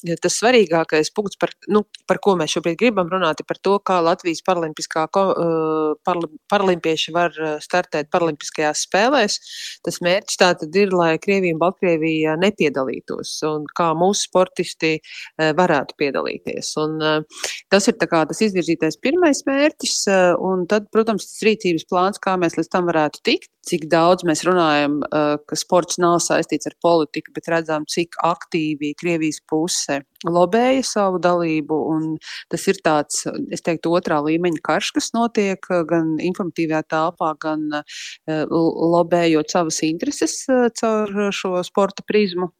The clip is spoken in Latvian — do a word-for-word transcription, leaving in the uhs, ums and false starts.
ja tas svarīgākais punkts, par, nu, par ko mēs šobrīd gribam runāt, ir par to, kā Latvijas paralimpiskā ko, uh, parli, paralimpieši var startēt paralimpiskajās spēlēs. Tas mērķis tātad ir, lai Krievija un Baltkrievija nepiedalītos un kā mūsu sportisti uh, varētu piedalīties. Un, uh, tas ir tā kā tas izvirzītais pirmais mērķis, uh, un tad, protams, tas rīcības plāns, kā mēs līdz tam varētu tikt, cik daudz mēs runājam, uh, ka sports nav saistīts ar politiku, bet redzam, cik aktīvi Krievijas puse lobēja savu dalību, un tas ir tāds, es teiktu, otrā līmeņa karš, kas notiek gan informatīvajā telpā, gan uh, lobējot savas intereses uh, caur šo sporta prizmu.